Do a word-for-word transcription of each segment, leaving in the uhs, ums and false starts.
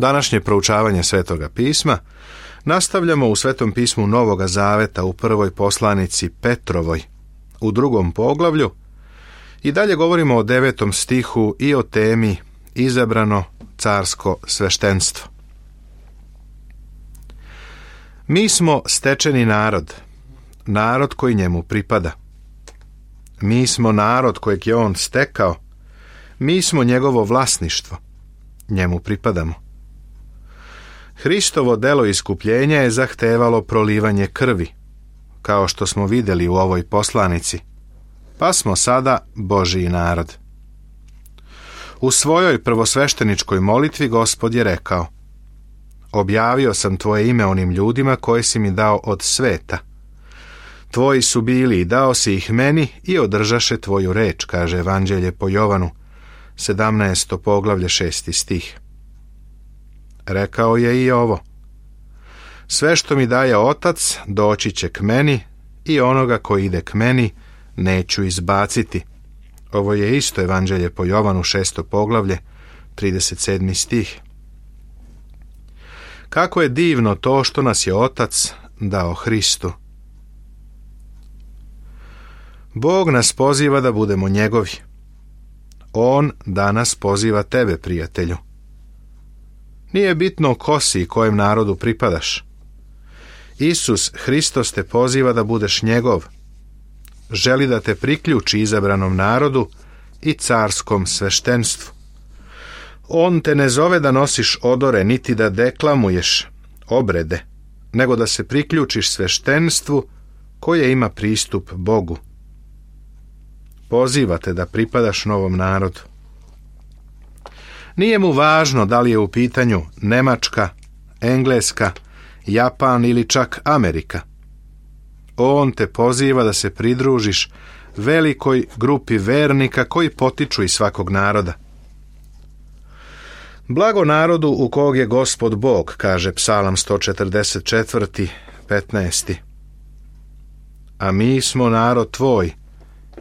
Današnje proučavanje Svetoga pisma nastavljamo u Svetom pismu Novoga Zaveta u prvoj poslanici Petrovoj, u drugom poglavlju, i dalje govorimo o devetom stihu i o temi izabrano carsko sveštenstvo. Mi smo stečeni narod, narod koji njemu pripada. Mi smo narod kojeg je on stekao, mi smo njegovo vlasništvo, njemu pripadamo. Hristovo delo iskupljenja je zahtevalo prolivanje krvi, kao što smo vidjeli u ovoj poslanici, pa smo sada Božji narod. U svojoj prvosvešteničkoj molitvi Gospod je rekao: objavio sam tvoje ime onim ljudima koje si mi dao od sveta. Tvoji su bili i dao si ih meni i održaše tvoju reč, kaže Evanđelje po Jovanu, sedamnaesto poglavlje, šesti stih. Rekao je i ovo: sve što mi daje Otac doći će k meni i onoga koji ide k meni neću izbaciti. Ovo je isto Evanđelje po Jovanu, šesto poglavlje, trideset sedmi stih. Kako je divno to što nas je Otac dao Hristu. Bog nas poziva da budemo njegovi. On danas poziva tebe, prijatelju. Nije bitno ko si i kojem narodu pripadaš. Isus Hristos te poziva da budeš njegov. Želi da te priključi izabranom narodu i carskom sveštenstvu. On te ne zove da nosiš odore, niti da deklamuješ obrede, nego da se priključiš sveštenstvu koje ima pristup Bogu. Poziva te da pripadaš novom narodu. Nije mu važno da li je u pitanju Nemačka, Engleska, Japan ili čak Amerika. On te poziva da se pridružiš velikoj grupi vernika koji potiču iz svakog naroda. Blago narodu u kog je Gospod Bog, kaže Psalam sto četrdeset četiri, petnaesti. A mi smo narod tvoj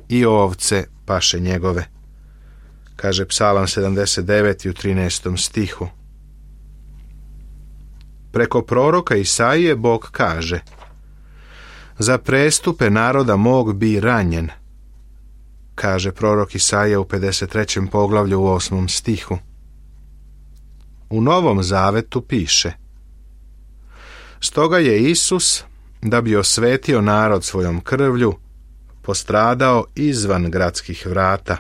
i ovce paše njegove, kaže Psalam sedamdeset devet u trinaestom stihu. Preko proroka Isaije Bog kaže: za prestupe naroda mog bi ranjen, kaže prorok Isaija u pedeset trećem poglavlju u osmom stihu. U Novom Zavetu piše: stoga je Isus, da bi osvetio narod svojom krvlju, postradao izvan gradskih vrata,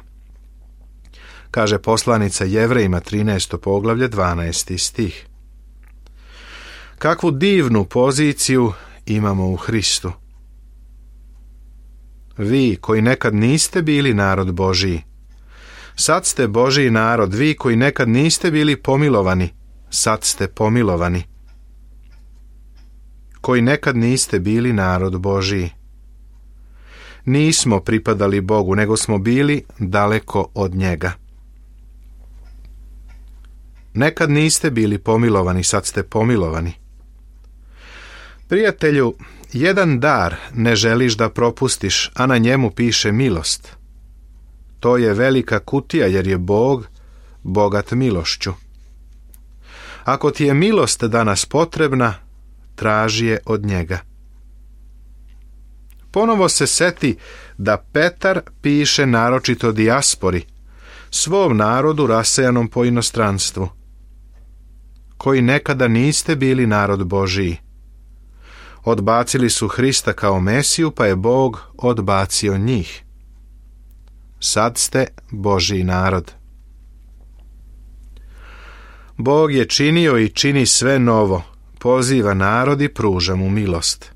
kaže poslanica Jevrejima trinaesto poglavlje, dvanaesti stih. Kakvu divnu poziciju imamo u Hristu. Vi koji nekad niste bili narod Božiji, sad ste Božji narod. Vi koji nekad niste bili pomilovani, sad ste pomilovani. Koji nekad niste bili narod Božiji. Nismo pripadali Bogu, nego smo bili daleko od njega. Nekad niste bili pomilovani, sad ste pomilovani. Prijatelju, jedan dar ne želiš da propustiš, a na njemu piše milost. To je velika kutija, jer je Bog bogat milošću. Ako ti je milost danas potrebna, traži je od njega. Ponovo se seti da Petar piše naročito dijaspori, svom narodu rasejanom po inostranstvu, koji nekada niste bili narod Božiji. Odbacili su Hrista kao Mesiju, pa je Bog odbacio njih. Sad ste Božji narod. Bog je činio i čini sve novo, poziva narod i pruža mu milost.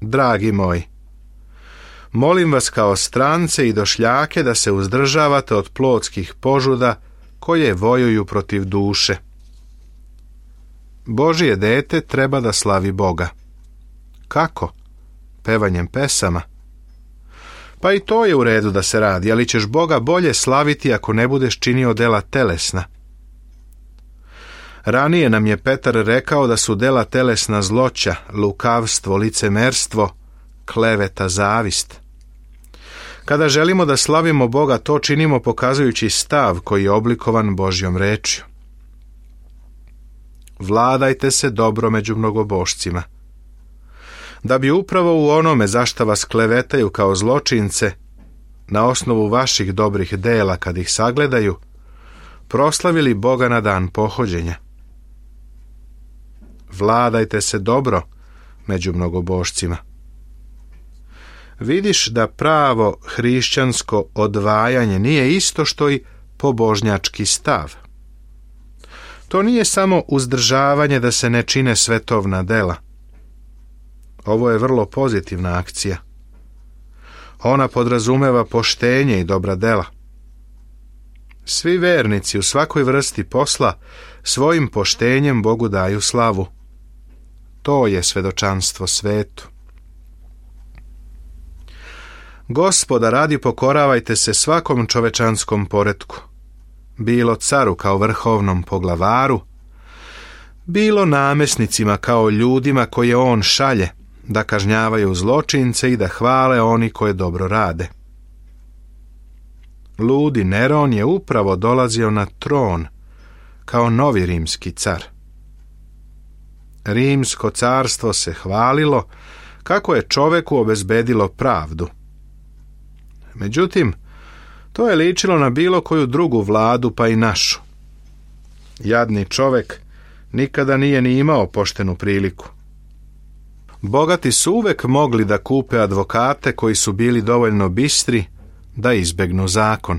Dragi moji, molim vas kao strance i došljake da se uzdržavate od plotskih požuda koje vojuju protiv duše. Božje dete treba da slavi Boga. Kako? Pevanjem pesama. Pa i to je u redu da se radi, ali ćeš Boga bolje slaviti ako ne budeš činio dela telesna. Ranije nam je Petar rekao da su dela telesna zloća, lukavstvo, licemerstvo, kleveta, zavist. Kada želimo da slavimo Boga, to činimo pokazujući stav koji je oblikovan Božjom rečju. Vladajte se dobro među mnogobošcima, da bi upravo u onome za šta vas klevetaju kao zločince, na osnovu vaših dobrih dela kad ih sagledaju, proslavili Boga na dan pohođenja. Vladajte se dobro među mnogobošcima. Vidiš da pravo hrišćansko odvajanje nije isto što i pobožnjački stav. To nije samo uzdržavanje da se ne čine svetovna dela. Ovo je vrlo pozitivna akcija. Ona podrazumeva poštenje i dobra dela. Svi vernici u svakoj vrsti posla svojim poštenjem Bogu daju slavu. To je svedočanstvo svetu. Gospoda radi pokoravajte se svakom čovečanskom poretku, bilo caru kao vrhovnom poglavaru, bilo namesnicima kao ljudima koje on šalje, da kažnjavaju zločince i da hvale oni koje dobro rade. Ludi Neron je upravo dolazio na tron kao novi rimski car. Rimsko carstvo se hvalilo kako je čoveku obezbedilo pravdu. Međutim, to je ličilo na bilo koju drugu vladu, pa i našu. Jadni čovek nikada nije ni imao poštenu priliku. Bogati su uvek mogli da kupe advokate koji su bili dovoljno bistri da izbegnu zakon.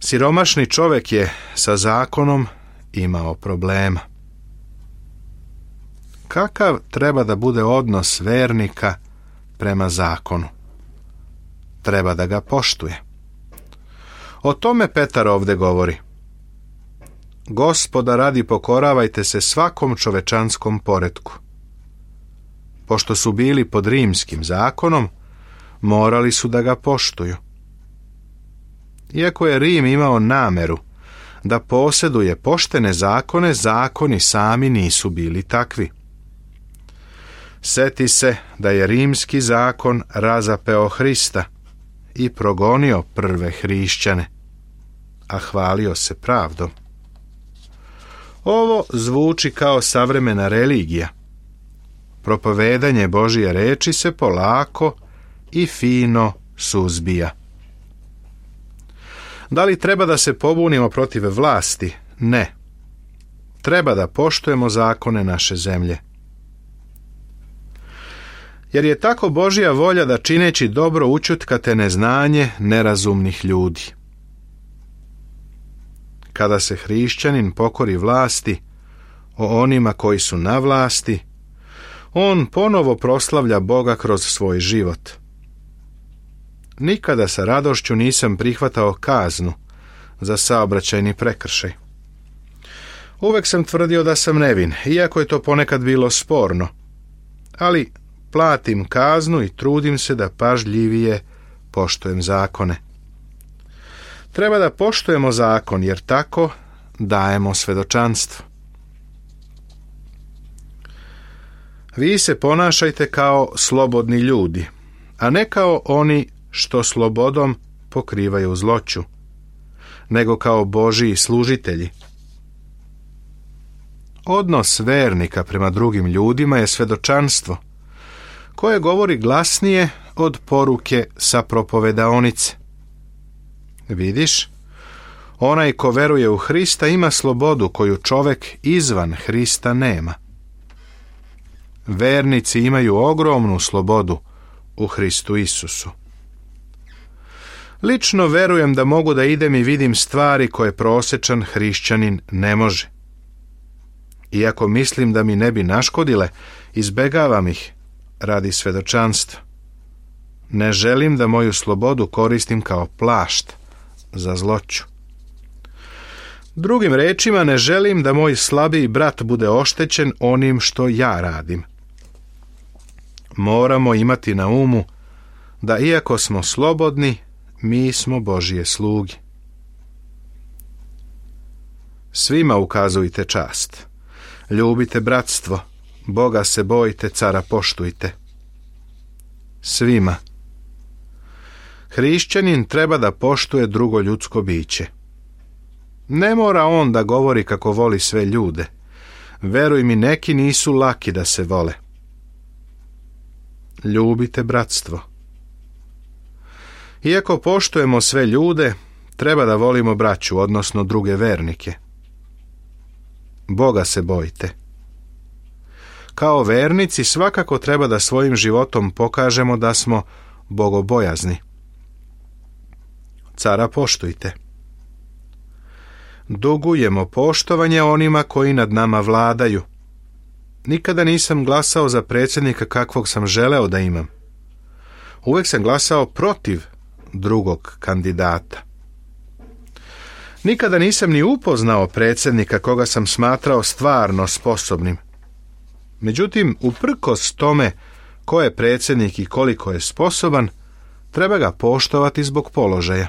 Siromašni čovek je sa zakonom imao problema. Kakav treba da bude odnos vernika prema zakonu? Treba da ga poštuje. O tome Petar ovde govori. Gospoda radi pokoravajte se svakom čovečanskom poretku. Pošto su bili pod rimskim zakonom, morali su da ga poštuju. Iako je Rim imao nameru da posjeduje poštene zakone, zakoni sami nisu bili takvi. Seti se da je rimski zakon razapeo Hrista i progonio prve hrišćane, a hvalio se pravdom. Ovo zvuči kao savremena religija. Propovedanje Božje reči se polako i fino suzbija. Da li treba da se pobunimo protiv vlasti? Ne. Treba da poštujemo zakone naše zemlje. Jer je tako Božja volja da čineći dobro ućutkate neznanje nerazumnih ljudi. Kada se hrišćanin pokori vlasti, o onima koji su na vlasti, on ponovo proslavlja Boga kroz svoj život. Nikada sa radošću nisam prihvatao kaznu za saobraćajni prekršaj. Uvek sam tvrdio da sam nevin, iako je to ponekad bilo sporno, ali platim kaznu i trudim se da pažljivije poštujem zakone. Treba da poštujemo zakon, jer tako dajemo svedočanstvo. Vi se ponašajte kao slobodni ljudi, a ne kao oni što slobodom pokrivaju zloću, nego kao Božiji služitelji. Odnos vernika prema drugim ljudima je svedočanstvo, koje govori glasnije od poruke sa propovedaonice. Vidiš, onaj ko veruje u Hrista ima slobodu koju čovek izvan Hrista nema. Vernici imaju ogromnu slobodu u Hristu Isusu. Lično verujem da mogu da idem i vidim stvari koje prosečan hrišćanin ne može. Iako mislim da mi ne bi naškodile, izbegavam ih radi svedočanstva. Ne želim da moju slobodu koristim kao plašt za zloću. Drugim rečima, ne želim da moj slabiji brat bude oštećen onim što ja radim. Moramo imati na umu da iako smo slobodni, mi smo Božje sluge. Svima ukazujte čast. Ljubite bratstvo, Boga se bojite, cara poštujte. Svima. Hrišćanin treba da poštuje drugo ljudsko biće. Ne mora on da govori kako voli sve ljude. Veruj mi, neki nisu laki da se vole. Ljubite bratstvo. Iako poštujemo sve ljude, treba da volimo braću, odnosno druge vernike. Boga se bojite. Kao vernici svakako treba da svojim životom pokažemo da smo bogobojazni. Cara poštujte. Dugujemo poštovanje onima koji nad nama vladaju. Nikada nisam glasao za predsjednika kakvog sam želeo da imam. Uvijek sam glasao protiv drugog kandidata. Nikada nisam ni upoznao predsjednika koga sam smatrao stvarno sposobnim. Međutim, uprkos tome ko je predsjednik i koliko je sposoban, treba ga poštovati zbog položaja.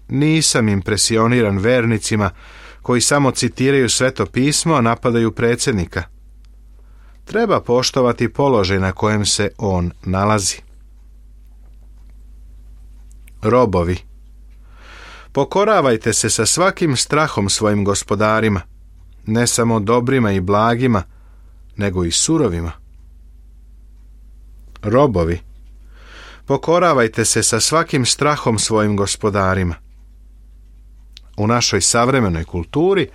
Nisam impresioniran vernicima koji samo citiraju Sveto pismo, a napadaju predsjednika. Treba poštovati položaj na kojem se on nalazi. Robovi. Pokoravajte se sa svakim strahom svojim gospodarima, ne samo dobrima i blagima, nego i surovima. Robovi. Pokoravajte se sa svakim strahom svojim gospodarima. U našoj savremenoj kulturi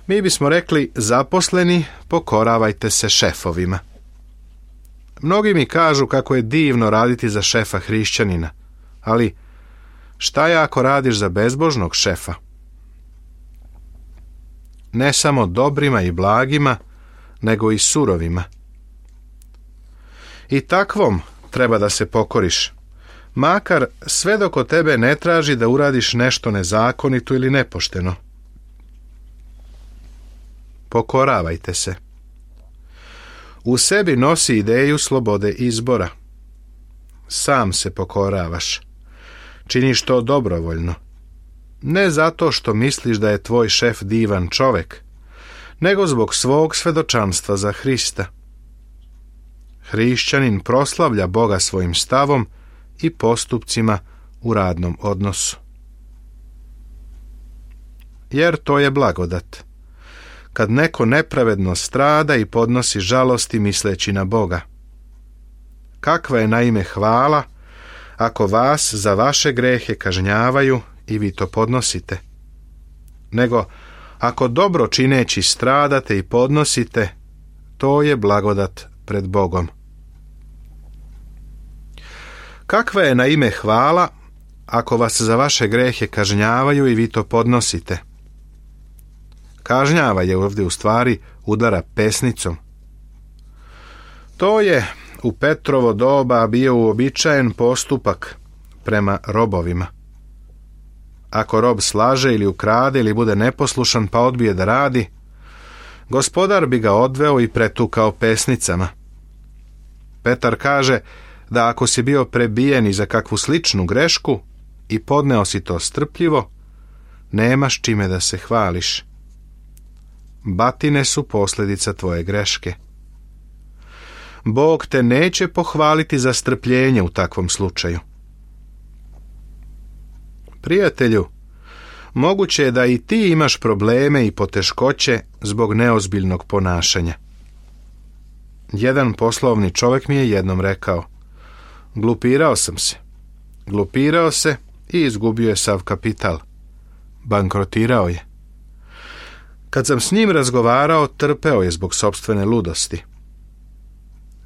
mi bismo rekli: zaposleni, pokoravajte se šefovima. Mnogi mi kažu kako je divno raditi za šefa hrišćanina, ali šta je ako radiš za bezbožnog šefa? Ne samo dobrima i blagima, nego i surovima. I takvom treba da se pokoriš, makar sve dok od tebe ne traži da uradiš nešto nezakonito ili nepošteno. Pokoravajte se. U sebi nosi ideju slobode izbora. Sam se pokoravaš. Činiš to dobrovoljno. Ne zato što misliš da je tvoj šef divan čovek, nego zbog svog svedočanstva za Hrista. Hrišćanin proslavlja Boga svojim stavom i postupcima u radnom odnosu. Jer to je blagodat. Kad neko nepravedno strada i podnosi žalosti misleći na Boga. Kakva je naime hvala ako vas za vaše grehe kažnjavaju i vi to podnosite? Nego ako dobro čineći stradate i podnosite, to je blagodat pred Bogom. Kakva je naime hvala ako vas za vaše grehe kažnjavaju i vi to podnosite? Kažnjava je ovdje u stvari udara pesnicom. To je u Petrovo doba bio uobičajen postupak prema robovima. Ako rob slaže ili ukrade ili bude neposlušan pa odbije da radi, gospodar bi ga odveo i pretukao pesnicama. Petar kaže da ako si bio prebijen i za kakvu sličnu grešku i podneo si to strpljivo, nemaš čime da se hvališ. Batine su posljedica tvoje greške. Bog te neće pohvaliti za strpljenje u takvom slučaju. Prijatelju, moguće je da i ti imaš probleme i poteškoće zbog neozbiljnog ponašanja. Jedan poslovni čovjek mi je jednom rekao: glupirao sam se. Glupirao se i izgubio je sav kapital. Bankrotirao je. Kad sam s njim razgovarao, trpeo je zbog sopstvene ludosti.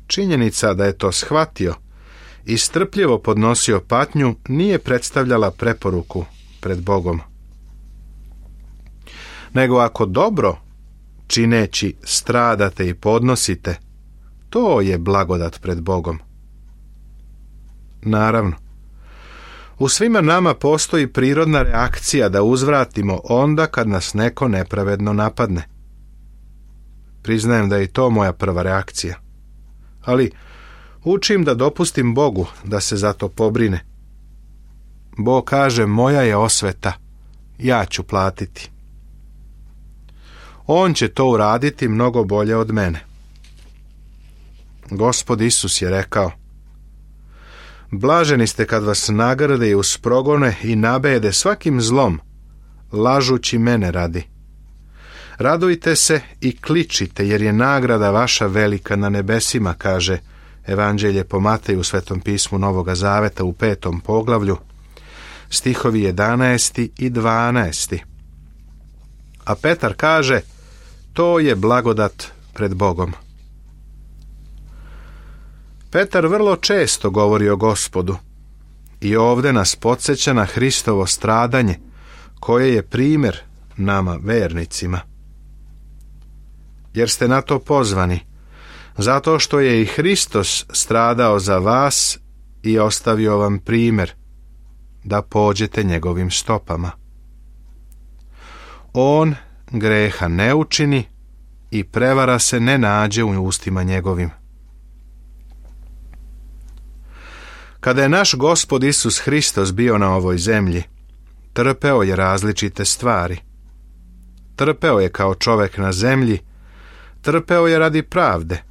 Činjenica da je to shvatio i strpljivo podnosio patnju nije predstavljala preporuku pred Bogom. Nego ako dobro, čineći, stradate i podnosite, to je blagodat pred Bogom. Naravno, u svima nama postoji prirodna reakcija da uzvratimo onda kad nas neko nepravedno napadne. Priznajem da je i to moja prva reakcija. Ali učim da dopustim Bogu da se za to pobrine. Bog kaže: moja je osveta, ja ću platiti. On će to uraditi mnogo bolje od mene. Gospod Isus je rekao: Blaženi ste kad vas nagrade i usprogone i nabede svakim zlom, lažući mene radi. Radujte se i kličite, jer je nagrada vaša velika na nebesima, kaže Evanđelje po Mateju u Svetom pismu Novoga Zaveta u petom poglavlju, stihovi jedanaesti i dvanaesti. A Petar kaže, to je blagodat pred Bogom. Petar vrlo često govori o Gospodu i ovdje nas podsjeća na Hristovo stradanje, koje je primjer nama vernicima. Jer ste na to pozvani, zato što je i Hristos stradao za vas i ostavio vam primjer, da pođete njegovim stopama. On greha ne učini i prevara se ne nađe u ustima njegovim. Kada je naš Gospod Isus Hristos bio na ovoj zemlji, trpeo je različite stvari. Trpeo je kao čovjek na zemlji, trpeo je radi pravde,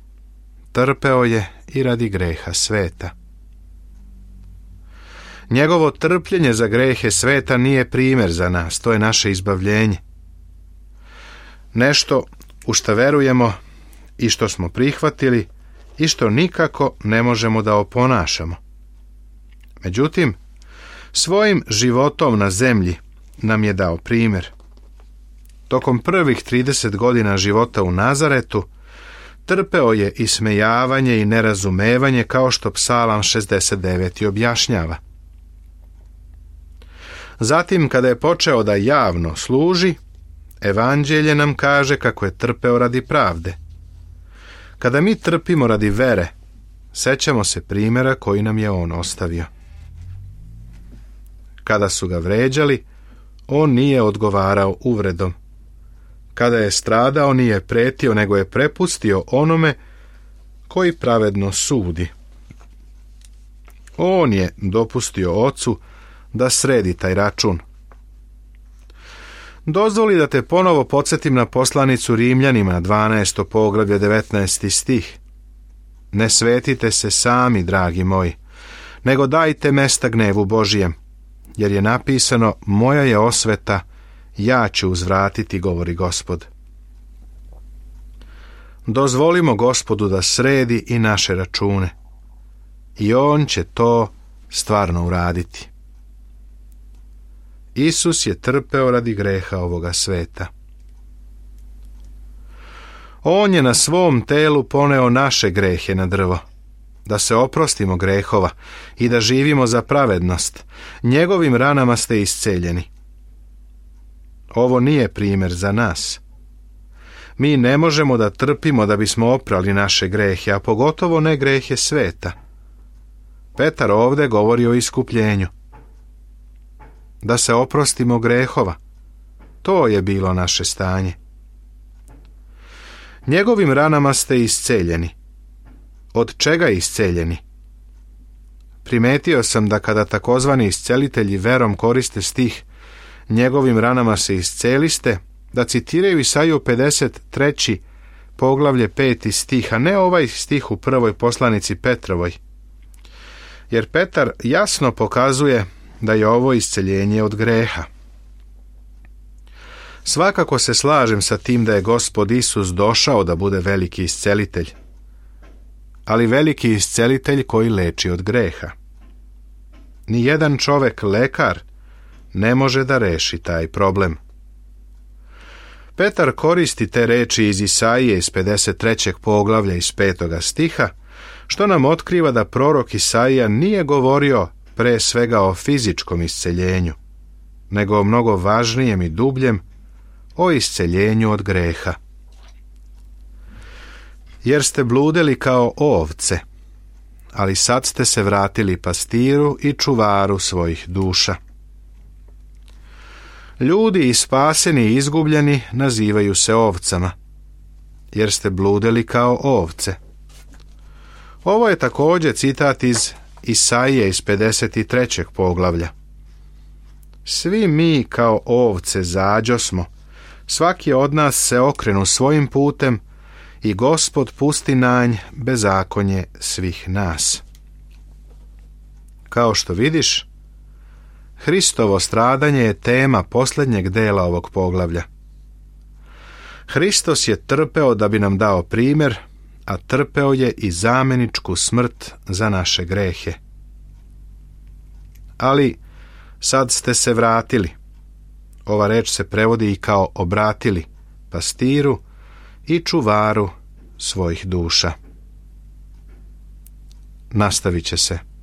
trpeo je i radi greha sveta. Njegovo trpljenje za grehe sveta nije primjer za nas, to je naše izbavljenje. Nešto u što verujemo i što smo prihvatili i što nikako ne možemo da oponašamo. Međutim, svojim životom na zemlji nam je dao primjer. Tokom prvih trideset godina života u Nazaretu trpeo je ismejavanje i nerazumevanje, kao što Psalam šezdeset devet objašnjava. Zatim, kada je počeo da javno služi, Evanđelje nam kaže kako je trpeo radi pravde. Kada mi trpimo radi vere, sećamo se primjera koji nam je on ostavio. Kada su ga vređali, on nije odgovarao uvredom. Kada je stradao, nije pretio, nego je prepustio onome koji pravedno sudi. On je dopustio ocu da sredi taj račun. Dozvoli da te ponovo podsjetim na poslanicu Rimljanima, dvanaesto poglavlje, devetnaesti stih. Ne svetite se sami, dragi moji, nego dajte mesta gnevu Božijem, jer je napisano, moja je osveta, ja ću uzvratiti, govori Gospod. Dozvolimo Gospodu da sredi i naše račune, i on će to stvarno uraditi. Isus je trpeo radi greha ovoga sveta. On je na svom telu poneo naše grehe na drvo, da se oprostimo grehova i da živimo za pravednost. Njegovim ranama ste isceljeni. Ovo nije primjer za nas. Mi ne možemo da trpimo da bismo oprali naše grehe, a pogotovo ne grehe sveta. Petar ovdje govori o iskupljenju. Da se oprostimo grehova, to je bilo naše stanje. Njegovim ranama ste isceljeni. Od čega isceljeni? Primetio sam da kada takozvani iscelitelji verom koriste stih njegovim ranama se isceliste, da citiraju Isaiju pedeset treće poglavlje peti stih, a ne ovaj stih u prvoj poslanici Petrovoj. Jer Petar jasno pokazuje da je ovo isceljenje od greha. Svakako se slažem sa tim da je Gospod Isus došao da bude veliki iscelitelj, ali veliki iscelitelj koji leči od greha. Nijedan čovek lekar ne može da reši taj problem. Petar koristi te reči iz Isaije iz pedeset trećeg poglavlja iz petoga stiha, što nam otkriva da prorok Isaija nije govorio pre svega o fizičkom isceljenju, nego o mnogo važnijem i dubljem, o isceljenju od greha. Jer ste bludeli kao ovce, ali sad ste se vratili pastiru i čuvaru svojih duša. Ljudi i spaseni i izgubljeni nazivaju se ovcama, jer ste bludeli kao ovce. Ovo je također citat iz Isaije iz pedeset trećeg poglavlja. Svi mi kao ovce zađosmo, svaki od nas se okrenu svojim putem i Gospod pusti na nj bezakonje svih nas. Kao što vidiš, Hristovo stradanje je tema posljednjeg dela ovog poglavlja. Hristos je trpeo da bi nam dao primjer, a trpeo je i zamjeničku smrt za naše grehe. Ali sad ste se vratili. Ova reč se prevodi i kao obratili pastiru i čuvaru svojih duša. Nastavit će se.